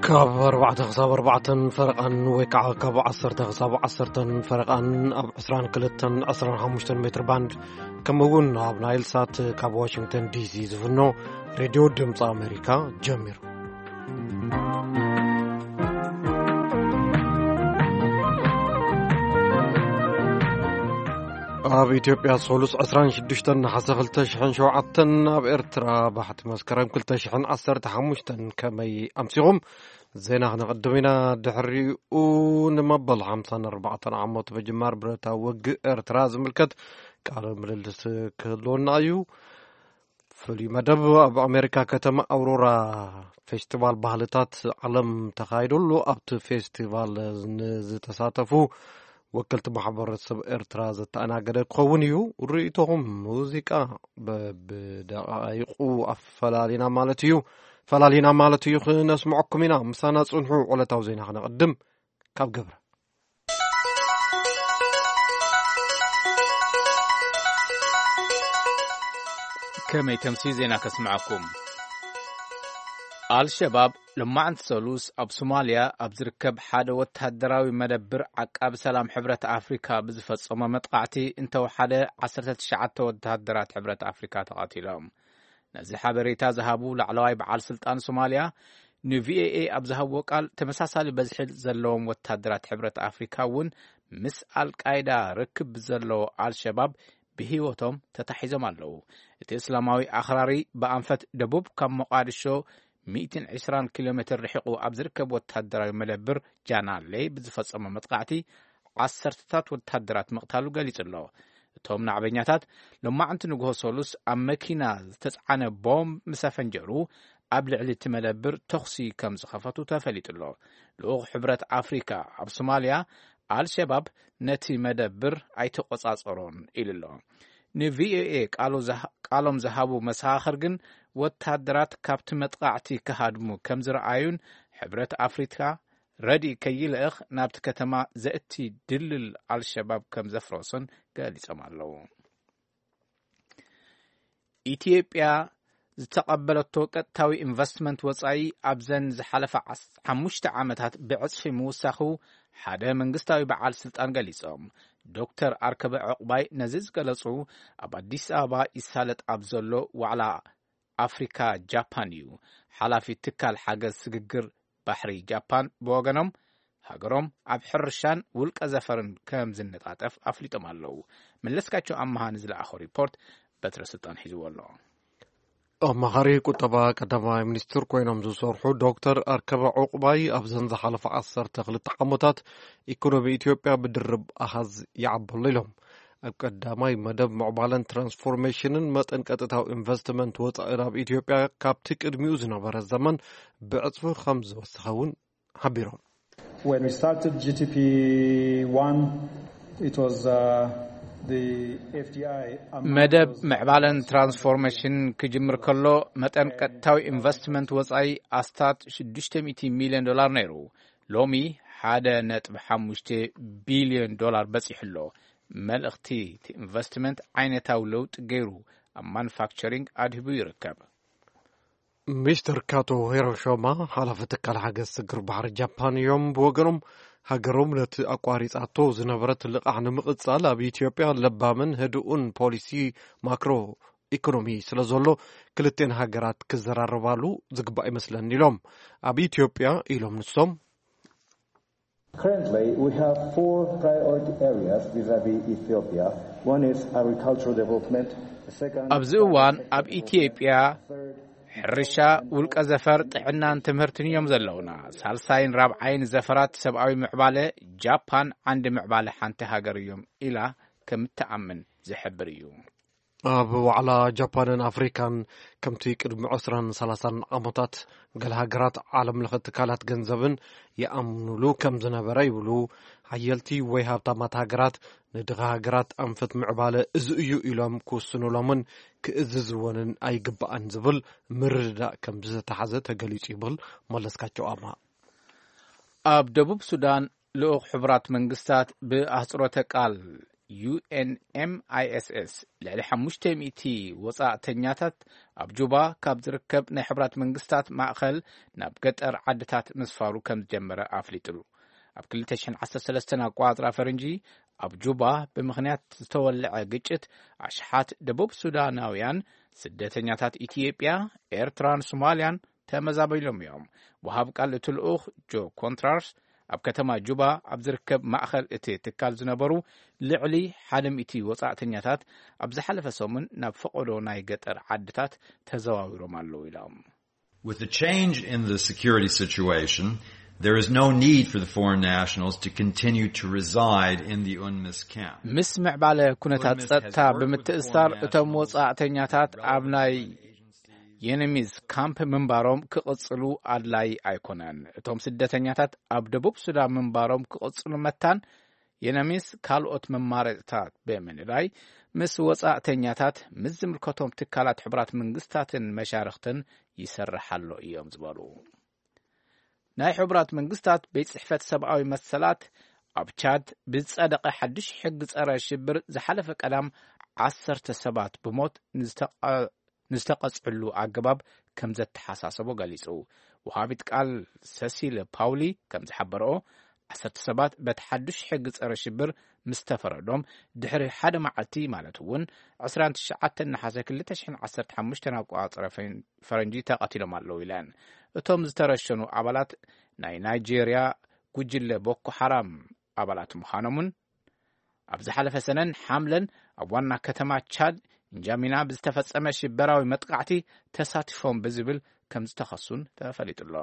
ካብ ኣርባዕተ ክሳብ ኣርባዕተን ፈረቓን ወይ ከዓ ካብ ዓሰርተ ክሳብ ዓሰርተን ፈረቓን ኣብ ዕስራን ክልተን ዕስራን ሓሙሽተን ሜትር ባንድ፣ ከምኡ እውን ኣብ ናይል ሳት ካብ ዋሽንግተን ዲሲ ዝፍኖ ሬድዮ ድምፂ ኣሜሪካ ጀሚሩ። ኣብ ኢትዮጵያ ሰሉስ ዕስራን ሽዱሽተን ነሓሰ ክልተ ሽሕን ሸውዓተን፣ ኣብ ኤርትራ ባሕቲ መስከረም ክልተ ሽሕን ዓሰርተ ሓሙሽተን። ከመይ ኣምሲኹም? ዜና ክነቐድም ኢና። ድሕሪኡ ንመበል ሓምሳን ኣርባዕተን ዓመት ምጅማር ብረታዊ ውግእ ኤርትራ ዝምልከት ቃለ ምልልስ ክህልወና እዩ። ፍሉይ መደብ ኣብ ኣሜሪካ ከተማ ኣውሮራ ፌስቲቫል ባህልታት ዓለም ተኻይዱሉ፣ ኣብቲ ፌስቲቫል ንዝተሳተፉ ወከልቲ ማሕበረሰብ ኤርትራ ዘተኣናገደ ክኸውን እዩ። ርእይቶኹም ሙዚቃ በብደቃይቁ ኣፈላሊና ማለት እዩ፣ ፈላሊና ማለት እዩ፣ ክነስምዐኩም ኢና። ምሳና ጽንሑ። ዕለታዊ ዜና ክነቕድም ካብ ገብረ። ከመይ ተምሲ ዜና ከስምዓኩም። ኣልሸባብ ሎማዕንቲ ሰሉስ ኣብ ሶማልያ ኣብ ዝርከብ ሓደ ወተሃደራዊ መደብር ዓቃቢ ሰላም ሕብረት ኣፍሪካ ብዝፈጸሞ መጥቃዕቲ እንተወሓደ ዓሰርተ ትሽዓተ ወተሃደራት ሕብረት ኣፍሪካ ተቐቲሎም። ነዚ ሓበሬታ ዝሃቡ ላዕለዋይ በዓል ስልጣን ሶማልያ ንቪኦኤ ኣብ ዝሃብዎ ቃል፣ ተመሳሳሊ በዝሒ ዘለዎም ወተሃደራት ሕብረት ኣፍሪካ እውን ምስ ኣልቃይዳ ርክብ ዘለዎ ኣልሸባብ ብህይወቶም ተታሒዞም ኣለዉ። እቲ እስላማዊ ኣኽራሪ ብኣንፈት ደቡብ ካብ ሞቓድሾ ሚእትን ዕስራን ኪሎ ሜትር ርሒቑ ኣብ ዝርከብ ወተሃደራዊ መደብር ጃናሌ ብዝፈጸሞ መጥቃዕቲ ዓሰርተታት ወተሃደራት ምቕታሉ ገሊጹ ኣሎ። እቶም ናዕበኛታት ሎማዕንቲ ንግሆ ሰሉስ ኣብ መኪና ዝተጻዕነ ቦምብ ምስ ኣፈንጀሩ፣ ኣብ ልዕሊ እቲ መደብር ተኹሲ ከም ዝኸፈቱ ተፈሊጡ ኣሎ። ልኡኽ ሕብረት ኣፍሪካ ኣብ ሶማልያ፣ ኣልሸባብ ነቲ መደብር ኣይተቆጻጸሮን ኢሉ ኣሎ። ንቪኦኤ ቃሉ ዝሃ-፣ ቃሎም ዝሃቡ መሰኻኽር ግን፣ ወታደራት ካብቲ መጥቃዕቲ ክሃድሙ ከም ዝረኣዩን፣ ሕብረት ኣፍሪካ ረድኢ ከይልእኽ ናብቲ ከተማ ዘእቲ ድልል ኣልሸባብ ከም ዘፍረሱን ገሊጾም ኣለዉ። ኢትዮጵያ ዝተቐበለቶ ቀጥታዊ ኢንቨስትመንት ወጻኢ ኣብዘን ዝሓለፋ ዓስ-፣ ሓሙሽተ ዓመታት ብዕጽፊ ምውሳኹ ሓደ መንግስታዊ በዓል ስልጣን ገሊጾም። ዶክተር ኣርከበ ዕቑባይ ነዚ ዝገለጹ ኣብ ኣዲስ ኣበባ ይሳለጥ ኣብ ዘሎ ዋዕላ ኣፍሪካ ጃፓን እዩ። ሓላፊ ትካል ሓገዝ ስግግር ባሕሪ ጃፓን ብወገኖም፣ ሃገሮም ኣብ ሕርሻን ውልቀ ዘፈርን ከም ዝነጣጠፍ ኣፍሊጦም ኣለዉ። መለስካቸው ኣመሃ ንዝለኣኾ ሪፖርት በትረ ስልጣን ሒዝዎ ኣሎ። ኣማኻሪ ቁጠባ ቀዳማይ ሚኒስትር ኮይኖም ዝሰርሑ ዶክተር ኣርከበ ዕቑባይ ኣብዘን ዝሓለፈ ዓሰርተ ክልተ ዓመታት ኢኮኖሚ ኢትዮጵያ ብድርብ ኣሃዝ ይዓበሎ ኢሎም። ኣብ ቀዳማይ መደብ ምዕባለን ትራንስፎርሜሽንን መጠን ቀጥታዊ ኢንቨስትመንት ወጻኢ ናብ ኢትዮጵያ ካብቲ ቅድሚኡ ዝነበረ ዘመን ብዕጽፊ ከም ዝወሰኸ እውን ሓቢሮም። When we started G T P one, it was, uh, the F D I amount መደብ was ምዕባለን ትራንስፎርሜሽን ክጅምር ከሎ መጠን ቀጥታዊ ኢንቨስትመንት ወጻኢ ኣስታት ሽዱሽተ ሚእቲ ሚልዮን ዶላር ነይሩ። ሎሚ ሓደ ነጥቢ ሓሙሽተ ቢልዮን ዶላር በጺሑ ኣሎ። መልእኽቲ እቲ ኢንቨስትመንት ዓይነታዊ ለውጢ ገይሩ ኣብ ማኑፋክቸሪንግ ኣድሂቡ ይርከብ። ሚስተር ካቶ ሄሮሾማ፣ ሓላፊ ትካል ሓገዝ ስግር ባሕሪ ጃፓን እዮም። ብወገኖም፣ ሃገሮም ነቲ ኣቋሪጻቶ ዝነበረት ልቓሕ ንምቕጻል ኣብ ኢትዮጵያ ለባምን ህዱእን ፖሊሲ ማክሮ ኢኮኖሚ ስለ ዘሎ፣ ክልቴን ሃገራት ክዘራረባሉ ዝግባእ ይመስለኒ ኢሎም። ኣብ ኢትዮጵያ ኢሎም ንሶም፣ Currently, we have four priority areas vis-à-vis Ethiopia. One is agricultural development, the second ኣብዚ እዋን ኣብ ኢትዮጵያ ሕርሻ፣ ውልቀ ዘፈር፣ ጥዕናን ትምህርትን እዮም ዘለውና። ሳልሳይን ራብዓይን ዘፈራት ሰብኣዊ ምዕባለ፣ ጃፓን ዓንዲ ምዕባለ ሓንቲ ሃገር እዮም ኢላ ከም እትኣምን ዝሕብር እዩ። ኣብ ዋዕላ ጃፓንን ኣፍሪካን፣ ከምቲ ቅድሚ ዕስራን ሰላሳን ዓመታት፣ ገለ ሃገራት ዓለም ለኸ ትካላት ገንዘብን ይኣምኑሉ ከም ዝነበረ ይብሉ። ሓየልቲ ወይ ሃብታማት ሃገራት ንድኻ ሃገራት ኣንፈት ምዕባለ እዚ እዩ ኢሎም ክውስኑሎምን ክእዝዝወንን ኣይግባእን ዝብል ምርድዳእ ከም ዝተታሕዘ ተገሊጹ ይብል መለስካቸው ኣማ። ኣብ ደቡብ ሱዳን ልኡኽ ሕቡራት መንግስታት፣ ብኣህጽሮተ ቃል ዩ ኤን ኤም ኣይ ኤስ ኤስ፣ ልዕሊ ሓሙሽተ ሚእቲ ወጻእተኛታት ኣብ ጁባ ካብ ዝርከብ ናይ ሕቡራት መንግስታት ማእኸል ናብ ገጠር ዓድታት ምስፋሩ ከም ዝጀመረ ኣፍሊጡ። ኣብ ክልተ ሽሕን ዓሰርተ ሰለስተን ኣቆጻጽራ ፈረንጂ፣ ኣብ ጁባ ብምኽንያት ዝተወልዐ ግጭት፣ ኣሽሓት ደቡብ ሱዳናውያን ስደተኛታት ኢትዮጵያ፣ ኤርትራን ሶማልያን ተመዛቢሎም እዮም። ወሃብ ቃል እቲ ልኡኽ ጆ ኮንትራርስ፣ ኣብ ከተማ ጁባ ኣብ ዝርከብ ማእኸል እቲ ትካል ዝነበሩ ልዕሊ ሓደ ሚእቲ ወጻእተኛታት ኣብ ዝሓለፈ ሰሙን ናብ ፈቐዶ ናይ ገጠር ዓድታት ተዘዋዊሮም ኣለዉ ኢሎም። With the change in the security situation, there is no need for the foreign nationals to continue to reside in the UNMISS camp. ምስ ምዕባለ ኩነታት ጸጥታ ብምትእስሳር፣ እቶም ወጻእተኛታት ኣብ ናይ የነሚዝ ካምፕ ምንባሮም ክቕጽሉ ኣድላይ ኣይኮነን። እቶም ስደተኛታት ኣብ ደቡብ ሱዳን ምንባሮም ክቕጽሉ መታን የነሚዝ ካልኦት መማረጽታት ብምንዳይ፣ ምስ ወጻእተኛታት፣ ምስ ዝምልከቶም ትካላት ሕቡራት መንግስታትን መሻርኽትን ይሰርሕ ኣሎ እዮም ዝበሉ። ናይ ሕቡራት መንግስታት ቤት ጽሕፈት ሰብኣዊ መሰላት፣ ኣብ ቻድ ብዝጸደቐ ሓድሽ ሕጊ ጸረ ሽብር ዝሓለፈ ቀዳም ዓሰርተ ሰባት ብሞት ንዝተቐ-፣ ንዝተቐጽዕሉ ኣገባብ ከም ዘተሓሳሰቦ ገሊጹ። ወሃቢት ቃል ሰሲል ፓውሊ ከም ዝሓበረኦ፣ ዓሰርተ ሰባት በቲ ሓድሽ ሕጊ ጸረ ሽብር ምስ ተፈረዶም ድሕሪ ሓደ መዓልቲ፣ ማለት እውን ዕስራን ትሽዓተን ነሓሰ ክልተ ሽሕን ዓሰርተ ሓሙሽተን ኣቆጻጽራ ፈን-፣ ፈረንጂ ተቐቲሎም ኣለዉ ኢለን። እቶም ዝተረሸኑ ኣባላት ናይ ናይጄርያ ጉጅለ ቦኮ ሓራም ኣባላት ምዃኖምን፣ ኣብ ዝሓለፈ ሰነን ሓምለን ኣብ ዋና ከተማ ቻድ እንጃሚና ብዝተፈጸመ ሽበራዊ መጥቃዕቲ ተሳቲፎም ብዝብል ከም ዝተኸሱን ተፈሊጡ ኣሎ።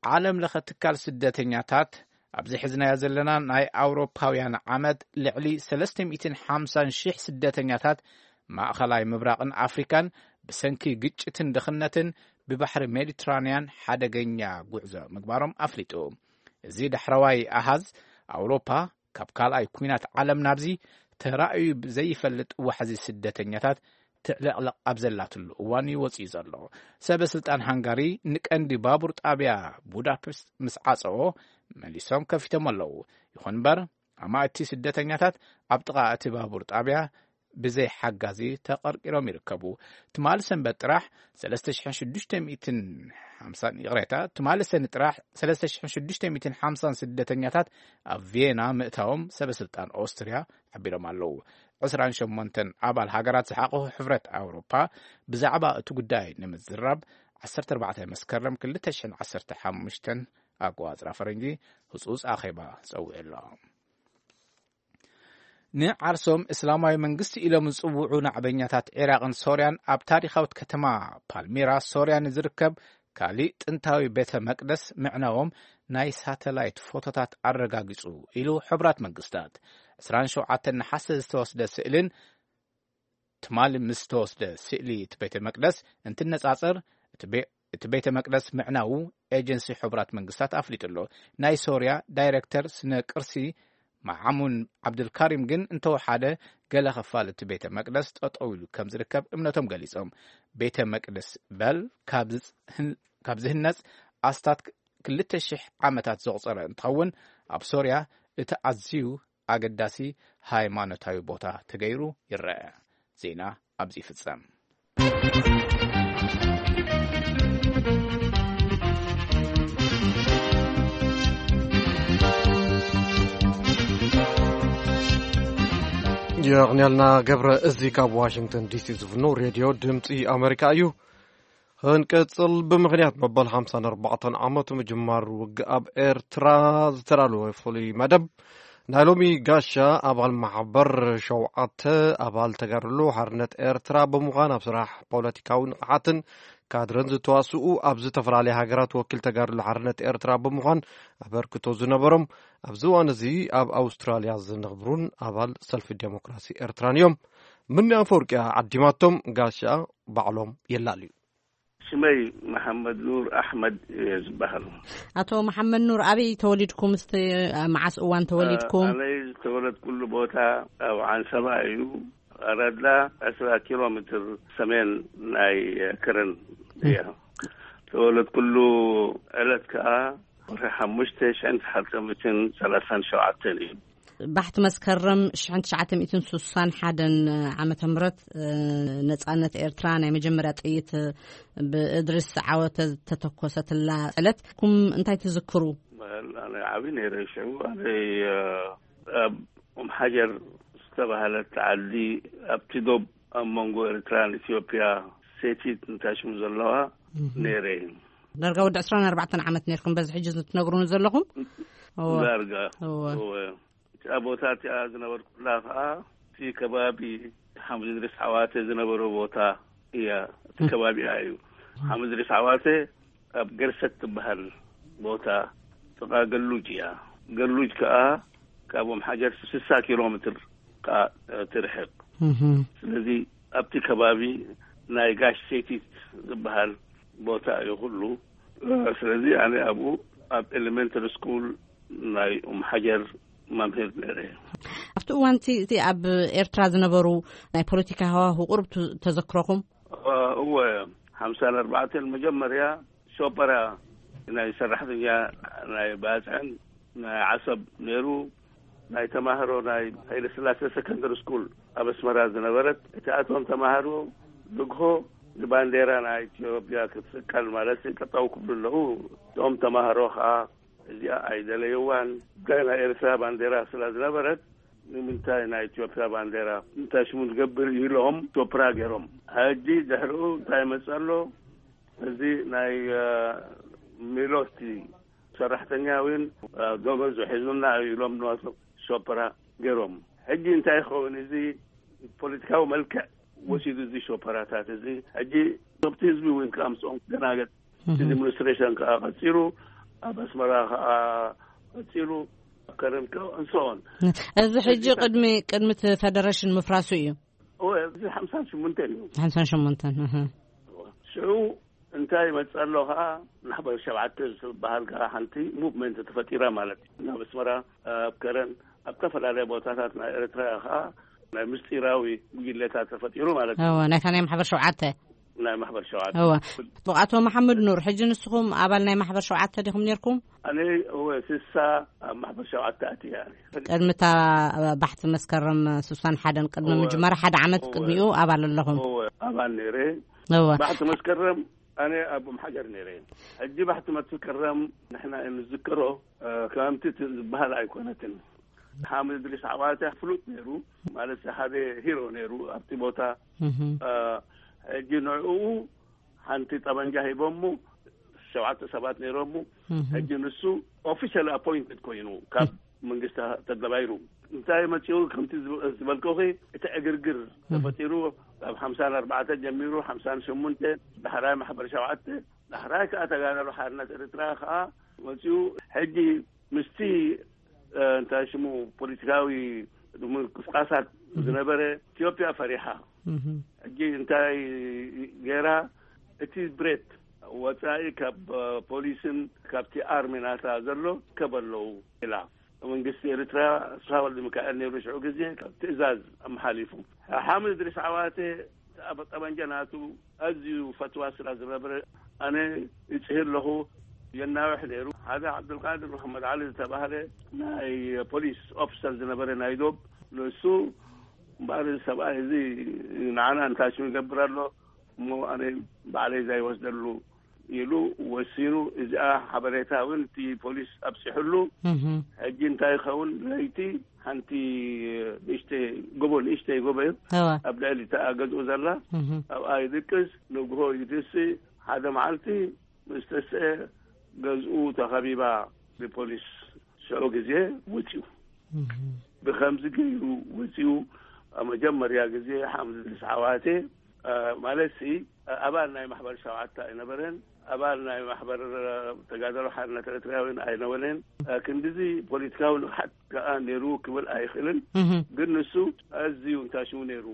ዓለም ለኸ ትካል ስደተኛታት፣ ኣብዚ ሒዝናዮ ዘለና ናይ ኣውሮፓውያን ዓመት፣ ልዕሊ ሰለስተ ሚእትን ሓምሳን ሽሕ ስደተኛታት ማእኸላይ ምብራቕን ኣፍሪካን ብሰንኪ ግጭትን ድኽነትን ብባሕሪ ሜዲትራንያን ሓደገኛ ጉዕዞ ምግባሮም ኣፍሊጡ። እዚ ዳሕረዋይ ኣሃዝ፣ ኣውሮፓ ካብ ካልኣይ ኲናት ዓለም ናብዚ ተራእዩ ብዘይፈልጥ ዋሕዚ ስደተኛታት ትዕለቕለቕ ኣብ ዘላትሉ እዋን እዩ ወጺኡ ዘሎ። ሰበ ስልጣን ሃንጋሪ ንቀንዲ ባቡር ጣብያ ቡዳፔስት ምስ ዓጸዎ፣ መሊሶም ከፊቶም ኣለዉ። ይኹን እምበር፣ ኣማእቲ ስደተኛታት ኣብ ጥቓ እቲ ባቡር ጣብያ ብዘይ ሓጋዚ ተቐርቂሮም ይርከቡ። ትማሊ ሰንበት ጥራሕ ሰለስተ ሽሕን ሽዱሽተ ሚእትን ሓምሳን፣ ይቕሬታ፣ ትማሊ ሰኒ ጥራሕ ሰለስተ ሽሕን ሽዱሽተ ሚእትን ሓምሳን ስደተኛታት ኣብ ቪየና ምእታዎም ሰበ ስልጣን ኦስትርያ ሓቢሮም ኣለዉ። ዕስራን ሸሞንተን ኣባል ሃገራት ዝሓቆፈ ሕብረት ኣውሮፓ ብዛዕባ እቲ ጉዳይ ንምዝራብ ዓሰርተ ኣርባዕተ መስከረም ክልተ ሽሕን ዓሰርተ ሓሙሽተን ኣቆጻጽራ ፈረንጂ ህጹጽ ኣኼባ ጸዊዑ ኣሎ። ንዓርሶም እስላማዊ መንግስቲ ኢሎም ዝጽውዑ ናዕበኛታት ዒራቕን ሶርያን፣ ኣብ ታሪኻዊት ከተማ ፓልሚራ ሶርያ ንዝርከብ ካሊእ ጥንታዊ ቤተ መቅደስ ምዕናዎም ናይ ሳተላይት ፎቶታት ኣረጋጊጹ ኢሉ ሕቡራት መንግስታት። ዕስራን ሸውዓተን ነሓሰ ዝተወስደ ስእልን ትማሊ ምስ ዝተወስደ ስእሊ እቲ ቤተ መቅደስ እንትነጻጸር፣ እቲ ቤ-፣ እቲ ቤተ መቅደስ ምዕናዉ ኤጀንሲ ሕቡራት መንግስታት ኣፍሊጡ ኣሎ። ናይ ሶርያ ዳይሬክተር ስነ ቅርሲ መዓሙን ዓብዱልካሪም ግን እንተወሓደ ገለ ክፋል እቲ ቤተ መቅደስ ጠጠው ኢሉ ከም ዝርከብ እምነቶም ገሊጾም። ቤተ መቅደስ በል ካብ ዝህን-፣ ካብ ዝህነጽ ኣስታት ክልተ ሽሕ ዓመታት ዘቑጸረ እንትኸውን፣ ኣብ ሶርያ እቲ ኣዝዩ ኣገዳሲ ሃይማኖታዊ ቦታ ተገይሩ ይረአ። ዜና ኣብዚ ይፍጸም። የቕንያልና ገብረ። እዚ ካብ ዋሽንግተን ዲሲ ዝፍኖ ሬድዮ ድምፂ ኣሜሪካ እዩ። ክንቅጽል፣ ብምኽንያት መበል ሓምሳን ኣርባዕተን ዓመት ምጅማር ውግእ ኣብ ኤርትራ ዝተዳለወ ፍሉይ መደብ፣ ናይ ሎሚ ጋሻ ኣባል ማሕበር ሸውዓተ ኣባል ተጋድሎ ሓርነት ኤርትራ ብምዃን ኣብ ስራሕ ፖለቲካዊ ንቕሓትን ካድረን ዝተዋስኡ፣ ኣብ ዝተፈላለያ ሃገራት ወኪል ተጋድሎ ሓርነት ኤርትራ ብምዃን ኣበርክቶ ዝነበሮም፣ ኣብዚ እዋን እዚ ኣብ ኣውስትራልያ ዝነብሩን ኣባል ሰልፊ ዴሞክራሲ ኤርትራን እዮም። ምኒ ኣፈወርቂ ዓዲማቶም ጋሻ ባዕሎም የላልዩ። ሽመይ መሓመድ ኑር ኣሕመድ እየ ዝበሃል። ኣቶ መሓመድ ኑር፣ ኣበይ ተወሊድኩም? እስቲ መዓስ እዋን ተወሊድኩም? ኣነ ዝተወለድኩሉ ቦታ ኣብ ዓንሰባ እዩ። ኣረድላ ዕስራ ኪሎ ሜትር ሰሜን ናይ ከረን እያ። ተወለድኩሉ ዕለት ከኣ ወርሒ ሓሙሽተ ሽሕን ትሓተ ሚእትን ሰላሳን ሸውዓተን እዩ። ባሕቲ መስከረም ሽሕን ትሽዓተ ሚእትን ስሳን ሓደን ዓመተ ምህረት፣ እ፣ ነጻነት ኤርትራ ናይ መጀመርያ ጥይት ብእድሪስ ዓወተ ዝተተኮሰትላ ዕለት ኩም እንታይ ትዝክሩ? ኣነ ዓቢ ነይረ ሽዑ። ኣነ፣ እ፣ ኣብ ኡም ሓጀር ዝተባህለት ዓዲ ኣብቲ ዶብ ኣብ መንጎ ኤርትራን ኢትዮጵያ ሴቲት እንታይ ሽሙ ዘለዋ ነይረ። ዳርጋ ወዲ ዕስራን ኣርባዕተን ዓመት ነይርኩም በዚ ሕጂ ትነግሩኒ ዘለኹም? እወ። ዳርጋ። እወ። እወ። እታ ቦታ እቲኣ ዝነበርኩላ ከኣ እቲ ከባቢ ሓምድ እድሪስ ዓዋተ ዝነበሮ ቦታ እያ። እቲ ከባቢኣ እዩ። ሓምድ እድሪስ ዓዋተ ኣብ ገርሰት ትበሃል ቦታ ጥቓ ገሉጅ እያ። ገሉጅ ከኣ ካብ ኦም ሓጀር ስሳ ኪሎ ሜትር ከኣ ትርሕቕ። ስለዚ ኣብቲ ከባቢ ናይ ጋሽ ሴቲት ዝበሃል ቦታ እዩ ኩሉ። ስለዚ ኣነ ኣብኡ ኣብ ኤሌመንተሪ ስኩል ናይ ኡም ሓጀር መምህር ነይረ። ኣብቲ እዋን እቲ፣ እቲ ኣብ ኤርትራ ዝነበሩ ናይ ፖለቲካ ሃዋሁ ቁሩብ ቱ-፣ ተዘክሮኹም? እወ፣ ሓምሳን ኣርባዕተን መጀመርያ ሾፐራ ናይ ሰራሕተኛ ናይ ባጽዕን ናይ ዓሰብ ነይሩ። ናይ ተማሃሮ ናይ ሃይለ ስላሴ ሰከንደሪ ስኩል ኣብ ኣስመራ ዝነበረት፣ እቲኣቶም ተማሃሮ ንግሆ ንባንዴራ ናይ ኢትዮጵያ ክትስቀል ማለት ጠጠው ክብሉ ኣለዉ። እቶም ተማሃሮ ከኣ እዚኣ ኣይደለይዋን። ጉዳይ ናይ ኤርትራ ባንዴራ ስለ ዝነበረት፣ ንምንታይ ናይ ኢትዮጵያ ባንዴራ እንታይ ሽሙ ንገብር ኢሎም ሾፕራ ገይሮም። ሕጂ ድሕሪኡ እንታይ ይመጽእ ኣሎ? እዚ ናይ፣ እ፣ ሚሎስቲ ሰራሕተኛ እውን፣ እ፣ ደሞዙ ሒዙና እዩ ኢሎም ንዋቶም ሾፕራ ገይሮም። ሕጂ እንታይ ይኸውን? እዚ ፖለቲካዊ መልክዕ ወሲዱ እዚ ሾፐራታት እዚ። ሕጂ ሶብቲ ህዝቢ እውን ከኣ ምስኦም ደናገጥ። እዚ ሚኒስትሬሽን ከኣ ቀጺሉ፣ ኣብ ኣስመራ ከኣ ቀጺሉ፣ ኣብ ከረን ከኣ እንስኦን። እዚ ሕጂ እዚ ቅድሚ፣ ቅድሚ እቲ ፈደረሽን ምፍራሱ እዩ። እወ፣ እዚ ሓምሳን ሽሙንተን እዩ። ሓምሳን ሽሙንተን፣ እህ። ሽዑ እንታይ ይመጽእ ኣሎ ከኣ፣ ማሕበር ሸውዓተ ዝበሃል ከኣ ሓንቲ ሙቭመንት ተፈጢራ ማለት እዩ። ናብ ኣስመራ፣ ኣብ ከረን፣ ኣብ ዝተፈላለየ ቦታታት ናይ ኤርትራ ከኣ ናይ ምስጢራዊ ጉጅለታት ተፈጢሩ ማለት እዩ። እወ፣ ናይታ ናይ ማሕበር ሸውዓተ። ናይ ማሕበር ሸውዓተ። እወ። ኣቶ መሓመድ ኑር፣ ሕጂ ንስኹም ኣባል ናይ ማሕበር ሸውዓተ ዲኹም ነይርኩም? ኣነ፣ እወ፣ ስሳ ኣብ ማሕበር ሸውዓተ ኣትየ። ቅድሚ እታ ባሕቲ መስከረም ስሳን ሓደን ቅድሚ እወ። ምጅማር ሓደ ዓመት እወ። ቅድሚኡ ኣባል ኣለኹም? እወ፣ ኣባል ነይረ። እወ። ባሕቲ መስከረም ኣነ ኣብ ኡም ሓጀር ነይረ። ሕጂ ባሕቲ መስከረም ንሕና እንዝክሮ፣ እ፣ ከምቲ እቲ ዝበሃል ኣይኮነትን። ሓምድ እድሪስ ዓዋተ ፍሉጥ ነይሩ፣ ማለት ሓደ ሂሮ ነይሩ ኣብቲ ቦታ። እህ። እ፣ ሕጂ ንዕኡ ሓንቲ ጠበንጃ ሂቦሙ፣ ሸውዓተ ሰባት ነይሮሙ። እህ። ሕጂ ንሱ ኦፊሻል ኣፖይንትድ ኮይኑ ካብ መንግስቲ ተገባይሩ። እንታይ መጺኡ? ከምቲ ዝብ-፣ ዝበልኩኺ፣ እቲ ዕግርግር እህ። ተፈጢሩ፣ ካብ ሓምሳን ኣርባዕተ ጀሚሩ፣ ሓምሳን ሸሞንተ፣ ዳሕራይ ማሕበር ሸውዓተ፣ ዳሕራይ ከኣ ተጋደሎ ሓርነት ኤርትራ ከኣ መጺኡ። ሕጂ ምስቲ፣ እ፣ እንታይ ሽሙ፣ ፖለቲካዊ ምንቅስቃሳት እህ። ዝነበረ ኢትዮጵያ ፈሪሓ። እህ። ሕጂ እንታይ ገይራ? እቲ ብሬት ወጻኢ ካብ፣ እ፣ ፖሊስን ካብቲ ኣርሚ ናታ ዘሎ ከበለዉ ኢላ። መንግስቲ ኤርትራ ኣስፋ ወልደ ሚካኤል ነይሩ ሽዑ ግዜ ካብ ትእዛዝ ኣመሓሊፉ። ሓምድ እድሪስ ዓዋተ ኣብ ጠበንጃ ናቱ ኣዝዩ ፈትዋ ስላ ዝነበረ፣ ኣነ ይጽሂ ኣለኹ፣ የናውሕ ነይሩ። ሓደ ዓብዱልቃድር መሓመድ ዓሊ ዝተባህለ ናይ ፖሊስ ኦፊሰር ዝነበረ ናይ ዶብ፣ ንሱ እምበኣር እዚ ሰብኣይ እዚ ንዓና እንታይ ሽም ይገብር ኣሎ፣ እሞ ኣነ ባዕለይ ዘይወስደሉ ኢሉ ወሲኑ። እዚኣ ሓበሬታ እውን እቲ ፖሊስ ኣብፂሑሉ። እህ። ሕጂ እንታይ ይኸውን? ለይቲ ሓንቲ ንእሽተይ ጎቦ፣ ንእሽተይ ጎቦ እዩ። እወ። ኣብ ልዕሊ እታ ገዝኡ ዘላ፣ እህ። ኣብኣ ይድቅስ። ንግሆ ይትስእ። ሓደ መዓልቲ ምስ ተስአ ገዝኡ ተኸቢባ ብፖሊስ። ሽዑ ግዜ ወፂኡ። እህ። ብኸምዚ ገይሩ ወፂኡ። ኣብ መጀመርያ ግዜ ሓምዚ ድሪስ ዓዋቴ፣ እ፣ ማለት ሲ፣ እ፣ ኣባል ናይ ማሕበር ሸውዓተ ኣይነበረን፣ ኣባል ናይ ማሕበር፣ እ፣ ተጋደሎ ሓርነት ኤርትራውያን ኣይነበረን። እ፣ ክንድዚ ፖለቲካዊ ንቕሓት ከኣ ነይሩ ክብል ኣይኽእልን። እህ። ግን ንሱ ኣዝዩ እንታይ ሽሙ ነይሩ፣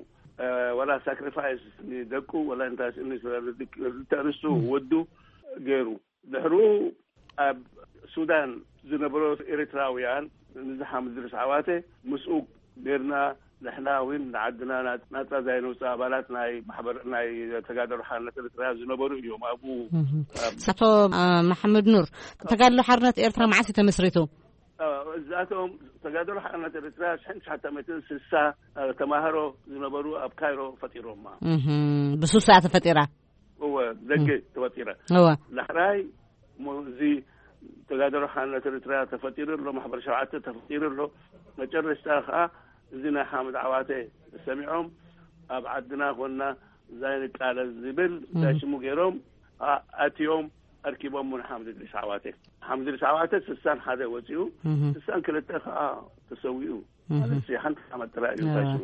እ፣ ወላ ሳክሪፋይስ ንደቁ፣ ወላ እንታይ ሽሙ ንሱ፣ ንሱ እህ። ወዱ ገይሩ። ድሕሩ ኣብ ሱዳን ዝነበሩ ኤርትራውያን፣ ንዝሓ ምድርስ ዓዋተ ምስኡ ኔርና። ንሕና እውን ንዓድና ና-፣ ናጻ ዛይነውፅእ ኣባላት ናይ ማሕበር፣ ናይ ተጋደሎ ሓርነት ኤርትራ ዝነበሩ እዮም። ኣብኡ እህ። ኣብ ኣቶ፣ እ፣ መሓመድ ኑር፣ ተጋድሎ ሓርነት ኤርትራ መዓስ እዩ ተመስሪቱ? እዚኣቶም ተጋደሎ ሓርነት ኤርትራ ሽሕን ትሽዓተ ሚእትን ስሳ ተማሃሮ ዝነበሩ ኣብ ካይሮ ፈጢሮማ። እህም፣ ብሱሳ ተፈጢራ። እወ፣ ደገ ተፈጢራ። እወ። ዳሕራይ እሞ እዚ ተጋደሎ ሓርነት ኤርትራ ተፈጢሩ ኣሎ፣ ማሕበር ሸውዓተ ተፈጢሩ ኣሎ። መጨረሽታ ከዓ እዚ ናይ ሓመድ ዓዋተ ሰሚዖም ኣብ ዓድና ኮንና እዛ ንቃለስ ዝብል እንታይ ሽሙ ገይሮም ኣ-፣ ኣትዮም ኣርኪቦም ውን ሓምድ ድሪስ ዓዋተ። ሓምድ ድሪስ ዓዋተ ስሳን ሓደ ወፂኡ፣ ስሳን ክልተ ከዓ ተሰዊኡ። ማለት ሓንቲ ዓመት ጥራይ እዩ እንታይ ሽሙ።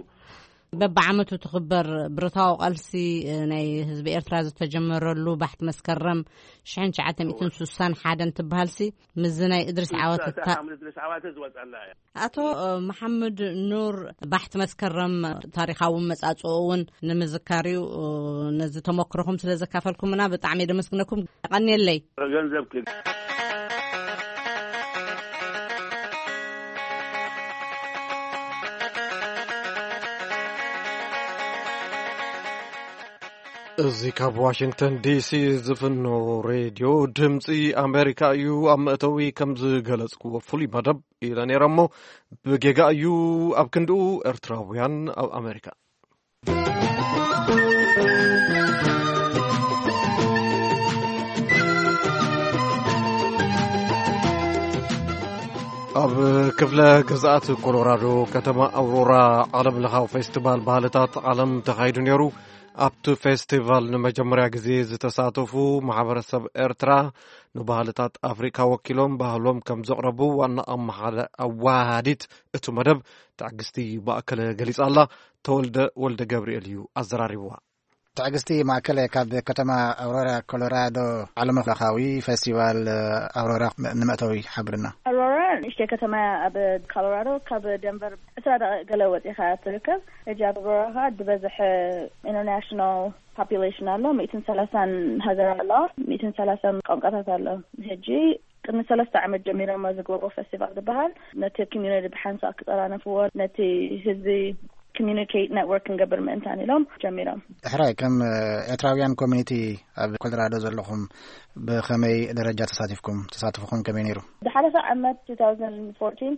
በብዓመቱ ትኽበር ብረታዊ ቃልሲ ናይ ህዝቢ ኤርትራ ዝተጀመረሉ ባሕቲ መስከረም ሽሕን ትሽዓተ ሚእትን ስሳን ሓደን ትበሃልሲ፣ ምስዚ ናይ እድሪስ ዓዋተ ሓምድ እድሪስ ዓዋተ ዝወፀላ እያ። ኣቶ መሓመድ ኑር፣ ባሕቲ መስከረም ታሪኻዊ መጻጽኦ እውን ንምዝካር እዩ። ነዚ ተመክሮኹም ስለ ዘካፈልኩምና ብጣዕሚ የደመስግነኩም። ቀንየለይ። ገንዘብ እዚ ካብ ዋሽንግተን ዲሲ ዝፍኖ ሬድዮ ድምፂ ኣሜሪካ እዩ። ኣብ መእተዊ ከም ዝገለጽክዎ፣ ፍሉይ መደብ ኢለ ነይረ እሞ ብጌጋ እዩ። ኣብ ክንድኡ ኤርትራውያን ኣብ ኣሜሪካ። ኣብ ክፍለ ግዝኣት ኮሎራዶ ከተማ ኣውሮራ ዓለም ለኻዊ ፌስቲቫል ባህልታት ዓለም ተኻይዱ ነይሩ። ኣብቲ ፌስቲቫል ንመጀመርያ ግዜ ዝተሳተፉ ማሕበረሰብ ኤርትራ ንባህልታት ኣፍሪካ ወኪሎም ባህሎም ከም ዘቕረቡ ዋና ኣመሓዳ-፣ ኣወሃሃዲት እቲ መደብ ትዕግስቲ ማእከለ ገሊጻ ኣላ። ተወልደ ወልደ ገብርኤል እዩ ኣዘራሪብዋ። ትዕግስቲ ማእከለ ካብ ከተማ ኣውሮራ ኮሎራዶ ዓለምለኻዊ ፌስቲቫል ኣውሮራ ንመእተዊ ሓብርና። ኣውሮራ ንእሽተይ ከተማ እያ ኣብ ኮሎራዶ፣ ካብ ደንቨር ዕስራ ደቂቕ ገለ ወፂኻ ትርከብ። ሕጂ ኣብ ኣውሮራ ከዓ ዝበዝሐ ኢንተርናሽናል ፖፑሌሽን ኣሎ፣ ሚእትን ሰላሳን ሃገራት ኣለዋ፣ ሚእትን ሰላሳን ቋንቋታት ኣሎ። ሕጂ ቅድሚ ሰለስተ ዓመት ጀሚሮም ዝገብርዎ ፌስቲቫል ዝበሃል ነቲ ኮሚዩኒቲ ብሓንሳእ ክጠራነፍዎ፣ ነቲ ህዝቢ ኮሚዩኒኬት ኔትወርክ ክንገብር ምእንታን ኢሎም ጀሚሮም። ሕራይ፣ ከም ኤርትራውያን ኮሚኒቲ ኣብ ኮሎራዶ ዘለኹም ብኸመይ ደረጃ ተሳቲፍኩም? ተሳትፎኹም ከመይ ነይሩ? ዝሓለፈ ዓመት two thousand fourteen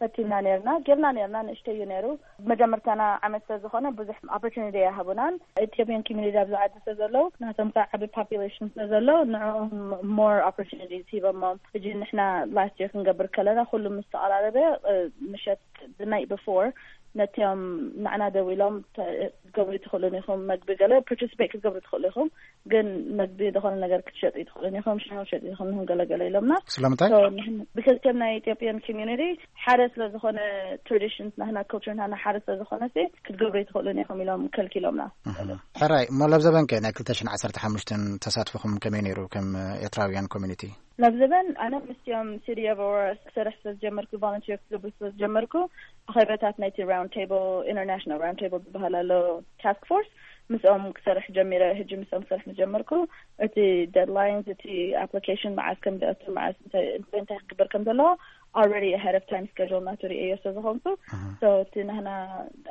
ፈቲና ነርና፣ ጌርና ነርና፣ ንእሽተይ እዩ ነይሩ። መጀመርታና ዓመት ስለ ዝኾነ ብዙሕ ኦፖርቹኒቲ ኣይሃቡናን። ኢትዮጵያን ኮሚኒቲ ኣብዚ ዓዲ ስለ ዘለዉ፣ ናቶም ከዓ ዓቢ ፖፑሌሽን ስለ ዘሎ፣ ንዕኦም ሞር ኦፖርቹኒቲስ ሂቦሞም። ሕጂ ንሕና ላስት ይር ክንገብር ከለና፣ ኩሉ ምስ ተቐራረበ፣ እ፣ ምሸት፣ the night before፣ ነቲኦም ንዓና ደው ኢሎም፣ ተ-፣ ክትገብሩ ትኽእሉን ኢኹም፣ መግቢ ገለ ፓርቲሲፔት ክትገብሩ ትኽእሉ ኢኹም፣ ግን መግቢ ዝኾነ ነገር ክትሸጡ ትኽእሉን ኢኹም፣ ሻሂ ክትሸጡ ትኽእሉን ኢኹም፣ ገለ ገለ ኢሎምና። ስለምንታይ? So፣ ንሕና፣ because ከም ናይ ኢትዮጵያን ኮሚዩኒቲ ሓደ ስለ ዝኾነ፣ ትራዲሽንስ ናህና፣ ካልቸር ናህና ሓደ ስለ ዝኾነ ሲ፣ ክትገብሩ ትኽእሉን ኢኹም ኢሎም ከልኪሎምና። እህ። ሕራይ፣ እሞ ለብዘበን ከ ናይ ክልተ ሽሕን ዓሰርተ ሓሙሽተን ተሳትፎኹም ከመይ ነይሩ ከም ኤርትራውያን ኮሚኒቲ? ለብዘበን ኣነ ምስቲኦም ሲቲ ኦፍ ኣውሮራ ክሰርሕ ስለ ዝጀመርኩ፣ ቮለንቲር ክገብር ስለ ዝጀመርኩ፣ ኣኼባታት ናይቲ ራውንድ ቴብል፣ ኢንተርናሽናል ራውንድ ቴብል ዝበሃል ኣሎ ታስክ ፎርስ፣ ምስኦም ክሰርሕ ጀሚረ። ሕጂ ምስኦም ክሰርሕ ምስ ጀመርኩ፣ እቲ ዴድላይንስ፣ እቲ ኣፕሊኬሽን መዓስ ከም ዘእቱ፣ መዓስ እንታይ፣ እንታይ፣ እንታይ ክግበር ከም ዘለዎ፣ already ahead of time schedule ናቱ ርእየዮ ስለ ዝኾንኩ፣ እህ። So፣ እቲ ናህና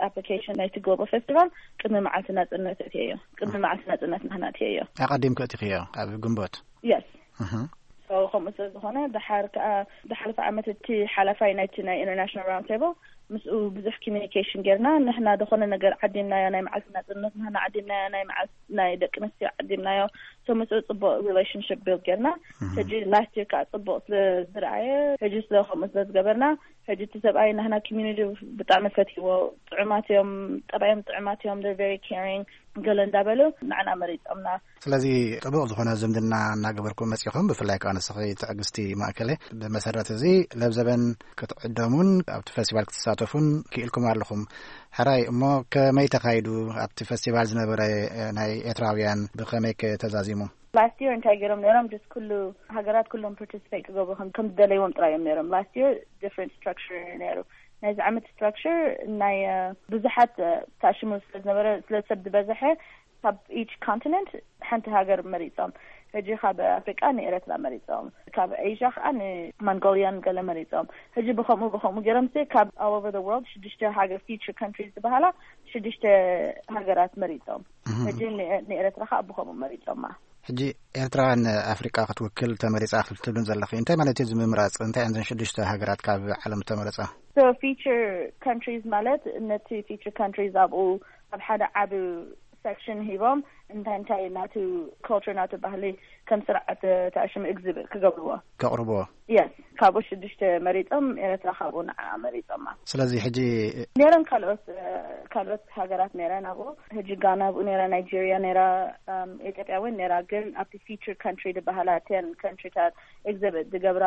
ኣፕሊኬሽን ናይቲ ግሎባል ፌስቲቫል ቅድሚ መዓልቲ ናጽነት እትየዮ። ቅድሚ መዓልቲ ናጽነት ናህና እትየዮ። ኣቐዲምኩ እቲኽዮ ኣብ ግንቦት? የስ። እህ። So፣ ከምኡ ስለ ዝኾነ፣ ድሓር ከኣ፣ ዝሓለፈ ዓመት እቲ ሓላፋይ ናይቲ ናይ ኢንተርናሽናል ራውንድ ቴብል፣ ምስኡ ብዙሕ ኮሚኒኬሽን ጌርና። ንሕና ዝኾነ ነገር ዓዲምናዮ፣ ናይ መዓልቲ ናጽነት ናህና ዓዲምናዮ፣ ናይ መዓልቲ ናይ ደቂ ኣንስትዮ ዓዲምናዮ። So፣ ምስኡ ጽቡቕ ሪሌሽንሽፕ ቢልድ ጌርና። እህ። ሕጂ ላስት ይር ከኣ ጽቡቕ ስለ ዝረኣየ፣ ሕጂ ስለ ከምኡ ስለ ዝገበርና፣ ሕጂ እቲ ሰብኣይ ናህና ኮሚኒቲ ብጣዕሚ ፈትይዎ። ጥዑማት እዮም፣ ጠባዮም ጥዑማት እዮም፣ they're very caring፣ ገለ እንዳበሉ ንዓና መሪጾምና። ስለዚ ጥቡቕ ዝኾነ ዝምድና እናገበርኩም መጺኹም፣ ብፍላይ ከኣ ንስኺ ትዕግስቲ ማእከለ። ብመሰረት እዚ ለብዘበን ክትዕደሙን ኣብቲ ፌስቲቫል ክትሳተፉን ክኢልኩም ኣለኹም። ሕራይ፣ እሞ ከመይ ተኻይዱ? ኣብቲ ፌስቲቫል ዝነበረ፣ እ፣ ናይ ኤርትራውያን ብኸመይ ከ ተዛዚሙ? ላስት ይር እንታይ ገይሮም ነይሮም? ጀስት ኩሉ ሃገራት ኩሎም ፓርቲሲፔት ክገብሩ ከም፣ ከም ዝደለይዎም ጥራይ እዮም ነይሮም። ላስት ይር ዲፍረንት ስትራክቸር ነይሩ። ናይዚ ዓመት ስትራክቸር ናይ፣ እ፣ ብዙሓት፣ እ፣ ተኣሽሙ ስለ ዝነበረ፣ ስለ ሰብ ዝበዝሐ፣ ካብ ኢች ኮንቲነንት ሓንቲ ሃገር መሪጾም። ሕጂ ካብ ኣፍሪቃ ንኤረትራ መሪጾም፣ ካብ ኤዥያ ከኣ ንሞንጎልያን ገለ መሪጾም። ሕጂ ብኸምኡ ብኸምኡ ገይሮም ሲ ካብ all over the world ሽዱሽተ ሃገር፣ ፊውቸር ካንትሪስ ዝበሃላ ሽዱሽተ ሃገራት መሪጾም። እህ። ሕጂ ንኤ-፣ ንኤረትራ ከኣ ብኸምኡ መሪጾማ። ሕጂ ኤርትራ ንኣፍሪቃ ክትውክል ተመሪጻ ክትብልን ዘለኺ፣ እንታይ ማለት እዩ እዚ ምምራጽ? እንታይ እየን ዘን ሽዱሽተ ሃገራት ካብ ዓለም ተመረጻ? So feature countries ማለት ነቲ feature countries ኣብኡ ኣብ ሓደ ዓቢ section ሂቦም እንታይ እንታይ ናቱ culture ናቱ ባህሊ ከም ስርዓት ተኣሽም exhibit ክገብርዎ። ከቕርብዎ። Yes፣ ካብኡ ሽዱሽተ መሪጾም፣ ኤርትራ ካብኡ ንዓ መሪጾማ። ስለዚ ሕጂ ነረን ካልኦት ካልኦት ሃገራት ነረን ኣብኡ፣ ሕጂ ጋና ኣብኡ ነራ፣ ናይጄሪያ ነራ፣ ኢትዮጵያ እውን ነራ። ግን ኣብቲ feature country ዝበሃላ ten country ታት exhibit ዝገብራ፣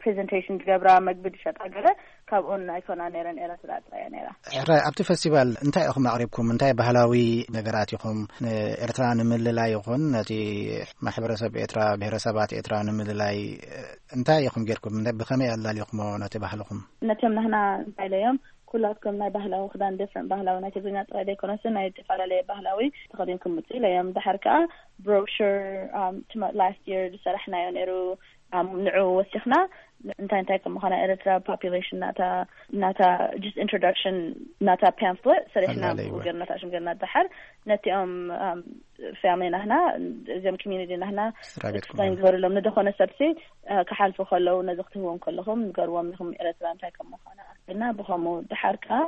presentation ዝገብራ፣ መግቢ ዝሸጣ ገለ ካብኡን ኣይኮና ነረን፣ ኤርትራ ጥራያ ነራ። ሕራይ፣ ኣብቲ ፈስቲቫል እንታይ ኢኹም ኣቕሪብኩም? እንታይ ባህላዊ ነገራት ኢኹም ንኤርትራ ንምልላይ ይኹን ነቲ ማሕበረሰብ ኤርትራ፣ ብሄረሰባት ኤርትራ ንምልላይ እንታይ ኢኹም ጌርኩም? ብኸመይ ኣላሊኹሞ ነቲ ባህልኹም? ነቶም ናህና እንታይ ኢለዮም፣ ኩላትኩም ናይ ባህላዊ ክዳን፣ different ባህላዊ፣ ናይ ትግርኛ ጥራይ ዘይኮነስ ናይ ዝተፈላለየ ባህላዊ ተኸዲንኩም ምጽእ ኢለዮም። ድሓር ከኣ brochure last year ዝሰራሕናዮ ነይሩ፣ ንዑ ወሲኽና እንታይ እንታይ ከም ምዃና፣ ኤርትራ population ናታ ናታ just introduction ናታ pamphlet ሰሪሕና። ገርና ታሽም ገርና ድሓር ነቲኦም family ናህና፣ እዚኦም community ናህና explain ዝበሩሎም ንደኾነ ሰብሲ ክሓልፉ ከለዉ፣ ነዚ ክትህዎም ከለኹም ንገርዎም ኢኹም ኤርትራ እንታይ ከም ምዃና። እና ብኸምኡ ድሓር ከኣ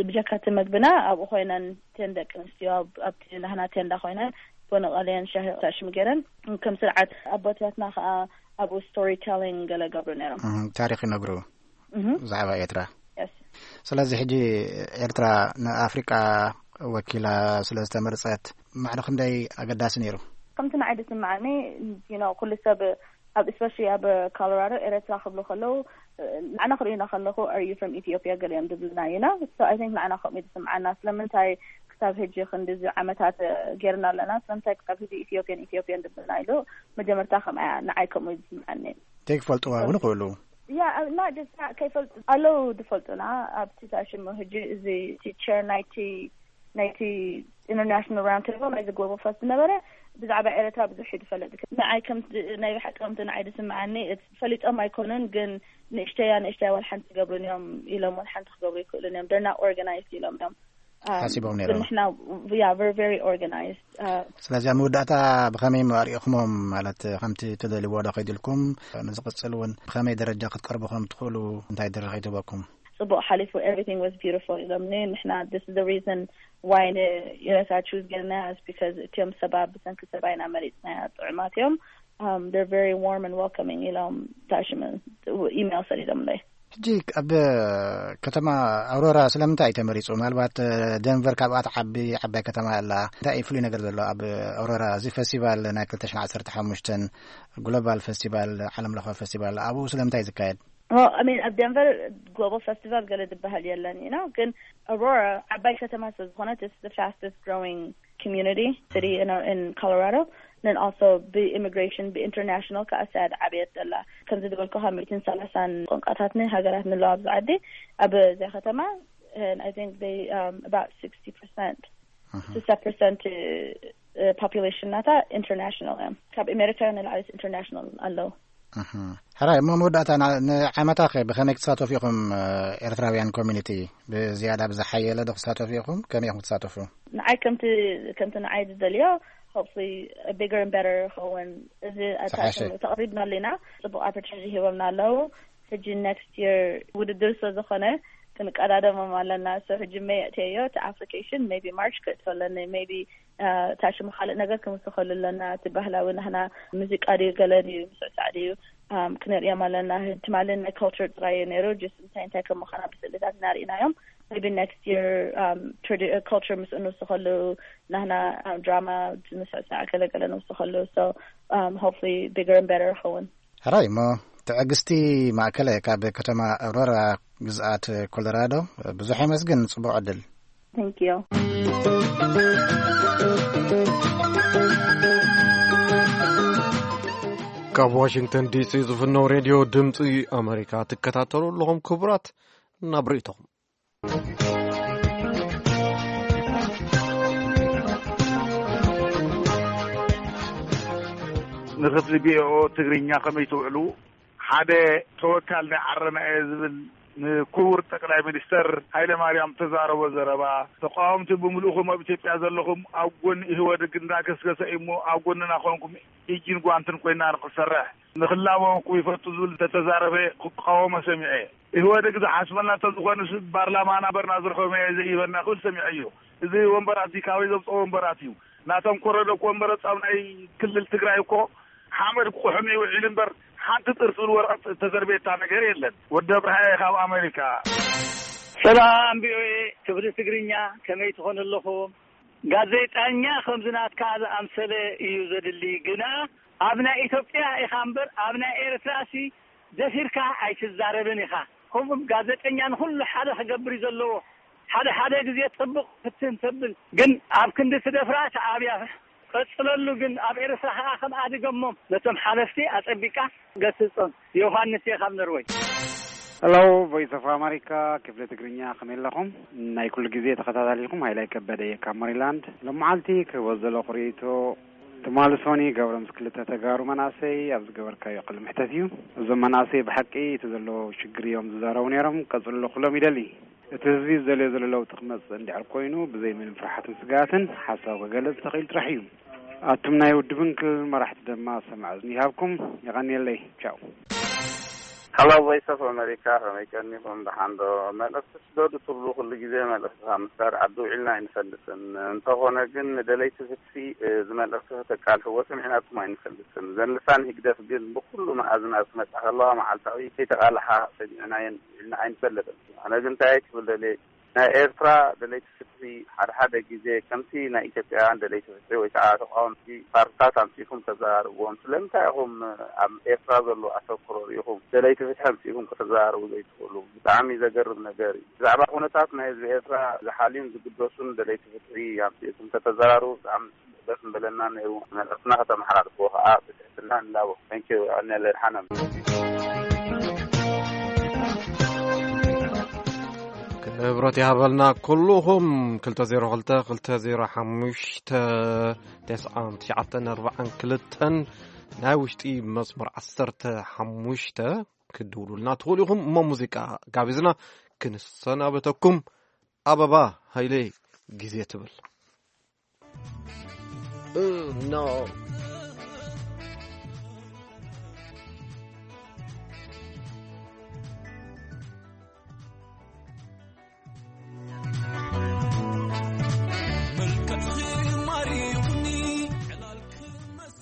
ብጀካቲ መግብና ኣብኡ ኮይነን፣ ten ደቂ ኣንስትዮ ኣብቲ ናህና ቴንዳ ኮይነን ቡን ቀልየን ሻሂ ታሽም ገይረን፣ ከም ስርዓት ኣቦታትና ከኣ ኣብኡ story telling ገለ ገብሩ ነይሮም። ታሪኽ ይነግሩ ብዛዕባ ኤርትራ። ስለዚ ሕጂ ኤርትራ ንኣፍሪቃ ወኪላ ስለ ዝተመርጸት ማዕረ ክንደይ ኣገዳሲ ነይሩ? ከምቲ ንዓይ ዝስምዓኒ፣ you know፣ ኩሉ ሰብ ኣብ፣ especially ኣብ ኮሎራዶ፣ ኤርትራ ክብሉ ከለዉ፣ ንዓና ክርእዩና ከለኹ are you from Ethiopia ገሊኦም ዝብሉና፣ you know? So I think ንዓና ከምኡ እዩ ዝስምዓና። ስለምንታይ ክሳብ ሕጂ ክንድዚ ዓመታት ጌርና ኣለና፣ ስለምንታይ ክሳብ ሕጂ ኢትዮጵያን ኢትዮጵያን ዝብሉና ኢሉ መጀመርታ ከምኣ ንዓይ ከምኡ እዩ ዝስምዓኒ። ከይፈልጥዋ እውን ይኽእሉ። ያ፣ እና ደሳ ከይፈልጡ ኣለዉ ዝፈልጡና ኣብቲ ታሽሙ። ሕጂ እዚ ቲቸር ናይቲ ናይቲ international round table ናይዚ ግሎባል ፈስት ዝነበረ ብዛዕባ ኤርትራ ብዙሕ እዩ ዝፈልጥ። ንዓይ ከም ናይ ብሓቂ ከምቲ ንዓይ ዝስምዓኒ ፈሊጦም ኣይኮኑን፣ ግን ንእሽተያ ንእሽተያ ዋላ ሓንቲ ይገብሩን እዮም ኢሎም፣ ዋላ ሓንቲ ክገብሩ ይክእሉን እዮም። They're not organized ኢሎም እዮም። ሓሲቦም ነይሮም። ንሕና yeah, we're very organized. ስለዚ ኣብ መወዳእታ ብኸመይ ኣርእኹሞም? ማለት ከምቲ ትደልይዎ ዶ ከይድልኩም ንዝቕጽል እውን ብኸመይ ደረጃ ክትቀርቡ ከም ትኽእሉ እንታይ ድሪ ከይትህበኩም? ጽቡቕ ሓሊፉ፣ everything was beautiful ኢሎምኒ። ንሕና this is the reason why ንኤረትራ choose ገርና is because እቲኦም ሰባት ብሰንኪ ሰብኣይና መሪጽናያ ጥዑማት እዮም። They're very warm and welcoming ኢሎም ታሽም ኢሜል ሰዲዶምለይ። ሕጂ ኣብ ከተማ ኣውሮራ ስለምንታይ እዩ ተመሪጹ? ምናልባት ደንቨር ካብኣ ትዓቢ ዓባይ ከተማ ኣላ። እንታይ እዩ ፍሉይ ነገር ዘሎ ኣብ ኣውሮራ? እዚ ፈስቲቫል ናይ ክልተ ሽሕን ዓሰርተ ሓሙሽተን ግሎባል ፈስቲቫል፣ ዓለም ለኸ ፈስቲቫል ኣብኡ ስለምንታይ እዩ ዝካየድ? Well, I mean, ኣብ ደንቨር ግሎባል ፈስቲቫል ገለ ዝበሃል የለን፣ you know፣ ግን ኣውሮራ ዓባይ ከተማ ስለ ዝኾነት it's the fastest growing community city in, in Colorado. Then also ብኢሚግሬሽን ብኢንተርናሽናል ከዓ ሳያድ ዓብየት ዘላ፣ ከምዚ ዝበልኩ ካብ ሚእትን ሰላሳን ቋንቋታት ን ሃገራት ንለዋ ኣብዚ ዓዲ። ኣብ እዚኣ ከተማ I think they about sixty percent ስሳ ፐርሰንት population ናታ ኢንተርናሽናል እዮም። ካብ ኣሜሪካ ንላዕሊ ኢንተርናሽናል ኣለዉ። ሕራይ እሞ መወዳእታ ንዓመታ ከ ብኸመይ ክትሳተፉ ኢኹም? ኤርትራውያን ኮሚኒቲ ብዝያዳ ብዝሓየለ ዶ ክትሳተፉ ኢኹም? ከመይ ኢኹም ክትሳተፉ? ንዓይ ከምቲ ከምቲ ንዓይ ዝደልዮ hopefully bigger and better ይኸውን። እዚ ተቐሪብና ኣለና፣ ጽቡቕ ኣፖርቹኒቲ ሂቦምና ኣለዉ። ሕጂ ኔክስት የር ውድድር ስለ ዝኾነ ክንቀዳደሞም ኣለና። So ሕጂ ሜይ ኣእትየዮ እቲ ኣፕሊኬሽን፣ ሜይቢ ማርች ክእትዮ ኣለኒ፣ ሜይቢ ታሽሙ ካልእ ነገር ክንውስኸሉ ኣለና። እቲ ባህላዊ ናህና ሙዚቃ ድዩ ገለ ድዩ ምስዕሳዕ ድዩ ክንርእዮም ኣለና። ትማሊ ናይ ካልቸር ጥራይ እዩ ነይሩ፣ ጅስ እንታይ እንታይ ከም ምዃና ብስእልታት ኢና ርኢናዮም። ሜይቢ ኔክስት የር ካልቸር ምስኡ ንውስኸሉ፣ ናህና ድራማ ምስዕሳዕ ገለገለ ንውስኸሉ። So hopefully bigger and better ይኸውን። ሕራይ እሞ ትዕግስቲ ማእከለ ካብ ከተማ ኣውሮራ ግዝኣት ኮሎራዶ ብዙሕ የመስግን። ጽቡቕ ዕድል። Thank you. ካብ ዋሽንግተን ዲሲ ዝፍነው ሬድዮ ድምፂ ኣሜሪካ ትከታተሉ ኣለኹም። ክቡራት ናብ ርእይቶኹም። ንክፍሊ ቪኦኦ ትግርኛ ከመይ ትውዕሉ? ሓደ ተወካል ናይ ዓረና እየ ዝብል ንክቡር ጠቅላይ ሚኒስተር ሃይለ ማርያም ተዛረቦ ዘረባ፣ ተቃወምቲ ብምልእኹም ኣብ ኢትዮጵያ ዘለኹም ኣብ ጎኒ ኢህወደግ እንዳገስገሰ እዩ እሞ ኣብ ጎንና ኮንኩም ኢጅን ጓንትን ኮይና ንክንሰርሕ ንክላበወኩም ይፈቱ ዝብል እንተተዛረበ ክቃወሞ ሰሚዐ። ኢህወደግ ዝሓስበና ተዝኾንስ ባርላማና በርና ዝረኸበ ዘይበና ክብል ሰሚዐ እዩ። እዚ ወንበራት እዚ ካበይ ዘምፅኦ ወንበራት እዩ? ናቶም ኮረዶ እኮ ወንበረ ፃብ ናይ ክልል ትግራይ እኮ ሓመድ ክቑሕም ይውዒል እምበር ሓንቲ ጥርጥር ወረቐት ዝተዘርቤታ ነገር የለን። ወዲ ኣብርሃየ ካብ ኣሜሪካ። ሰላም ቪኦኤ ክፍሊ ትግርኛ፣ ከመይ ትኾኑ ኣለኹም? ጋዜጠኛ ከምዚ ናትካ ዝኣምሰለ እዩ ዘድሊ። ግና ኣብ ናይ ኢትዮጵያ ኢኻ እምበር ኣብ ናይ ኤርትራሲ ደፊርካ ኣይትዛረብን ኢኻ። ከምኡም ጋዜጠኛ ንኹሉ ሓደ ክገብር እዩ ዘለዎ። ሓደ ሓደ ግዜ ጽቡቕ ፍትን ተብል፣ ግን ኣብ ክንዲ ትደፍራ ተኣብያ። ቀጽለሉ። ግን ኣብ ኤርትራ ከኣ ከም ኣድገሞም ነቶም ሓለፍቲ ኣጸቢቃ ገስጾም። ዮሃንስ እየ ካብ ኖርወይ። ሄሎ ቮይስ ኦፍ ኣሜሪካ ክፍሊ ትግርኛ፣ ከመይ ኣለኹም? ናይ ኩሉ ግዜ ተኸታታሊኹም ሃይላይ ከበደ እየ ካብ ሞሪላንድ። ሎም መዓልቲ ክህቦ ዘለኹ ርእይቶ፣ ትማሊ ሶኒ ገብረ ምስ ክልተ ተጋሩ መናእሰይ ኣብ ዝገበርካዮ ቅልምሕተት እዩ። እዞም መናእሰይ ብሓቂ እቲ ዘሎ ሽግር እዮም ዝዛረቡ ነይሮም። ቀጽልሉ ክሎም ይደሊ። እቲ ህዝቢ ዝደልዮ ዘሎ ለውጢ ክመጽእ እንድሕር ኮይኑ ብዘይ ምንም ፍርሓትን ስግኣትን ሓሳብ ክገልጽ ተኽኢሉ ጥራሕ እዩ። ኣቱም ናይ ውድብን ክልል መራሕቲ ድማ ሰማዕ እዝኒ ይሃብኩም። የቐንየለይ። ቻው። ሃሎ ቮይስ ኦፍ ኣሜሪካ፣ ከመይ ቀኒኹም? ደሓን ዶ? መልእኽቲ ስደዱ ትብሉ ኩሉ ግዜ መልእኽቲ ካብ ምስዳድ ዓዲ ውዒልና ኣይንፈልጥን። እንተኾነ ግን ንደለይቲ ፍትሒ እዚ መልእኽቲ ከተቃልሕዎ ሰሚዕናኩም ኣይንፈልጥን። እዘን ልሳን ህግደፍ ግን ብኩሉ መኣዝናት ክመጻ ከለዋ መዓልታዊ ከይተቃልሓ ሰሚዕናየን ውዒልና ኣይንፈልጥን። ኣነ ግን እንታይ ክብል ደልየ ናይ ኤርትራ ደለይቲ ፍትሒ ሓደ ሓደ ግዜ ከምቲ ናይ ኢትዮጵያውያን ደለይቲ ፍትሒ ወይ ከዓ ተቃወምቲ ፓርትታት ኣምጺእኩም ተዘራርብዎም። ስለምንታይ ኢኹም ኣብ ኤርትራ ዘሎ ኣተኩሮ ርኢኹም ደለይቲ ፍትሒ ኣምጺእኩም ከተዘራርቡ ዘይትኽእሉ? ብጣዕሚ ዘገርም ነገር እዩ። ብዛዕባ ኩነታት ናይ ህዝቢ ኤርትራ ዝሓልዩን ዝግደሱን ደለይቲ ፍትሒ ኣምጺእኩም ከተዘራርቡ ብጣዕሚ ደስ ምበለና ነይሩ። መልእኽትና ከተመሓላልፍዎ ከዓ ብትሕትና ንላቦ። Thank you። ኣነ ለድሓና ክብረት ይሃበልና ኩሉኹም። ክልተ ዜሮ ክልተ ክልተ ዜሮ ሓሙሽተ ተስዓን ትሽዓተን ኣርባዓን ክልተን ናይ ውሽጢ መስመር ዓሰርተ ሓሙሽተ ክትድውሉልና ትኽእሉ ኢኹም። እሞ ሙዚቃ ጋቢዝና ክንሰናበተኩም። ኣበባ ሃይለ ግዜ ትብል።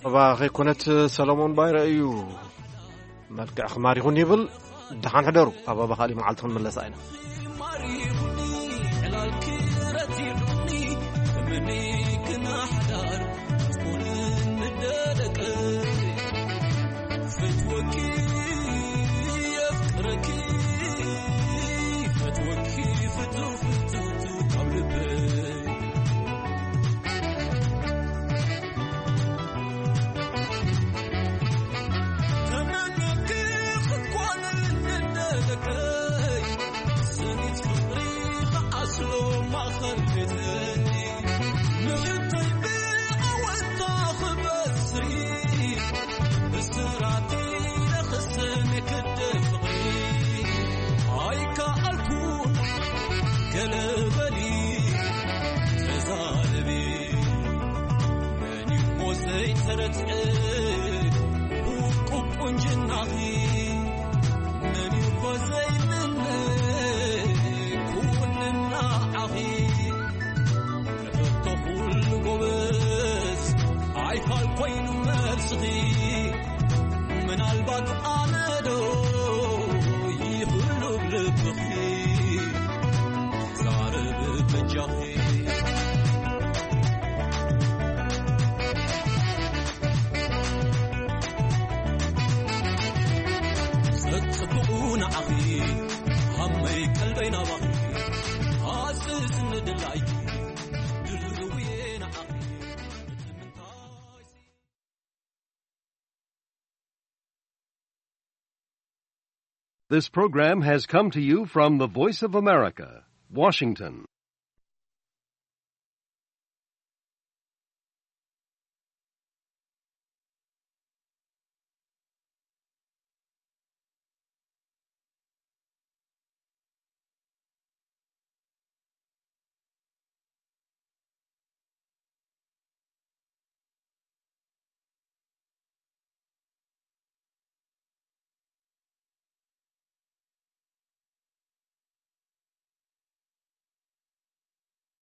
ኣበባ ከይኮነት ሰሎሞን ባይረ እዩ። መልክዕኺ ማሪኹኒ ይብል። ደሓን ሕደሩ። ኣበባ ካሊእ መዓልቲ ክንምለሳ ኢና። This program has come to you from the Voice of America, Washington.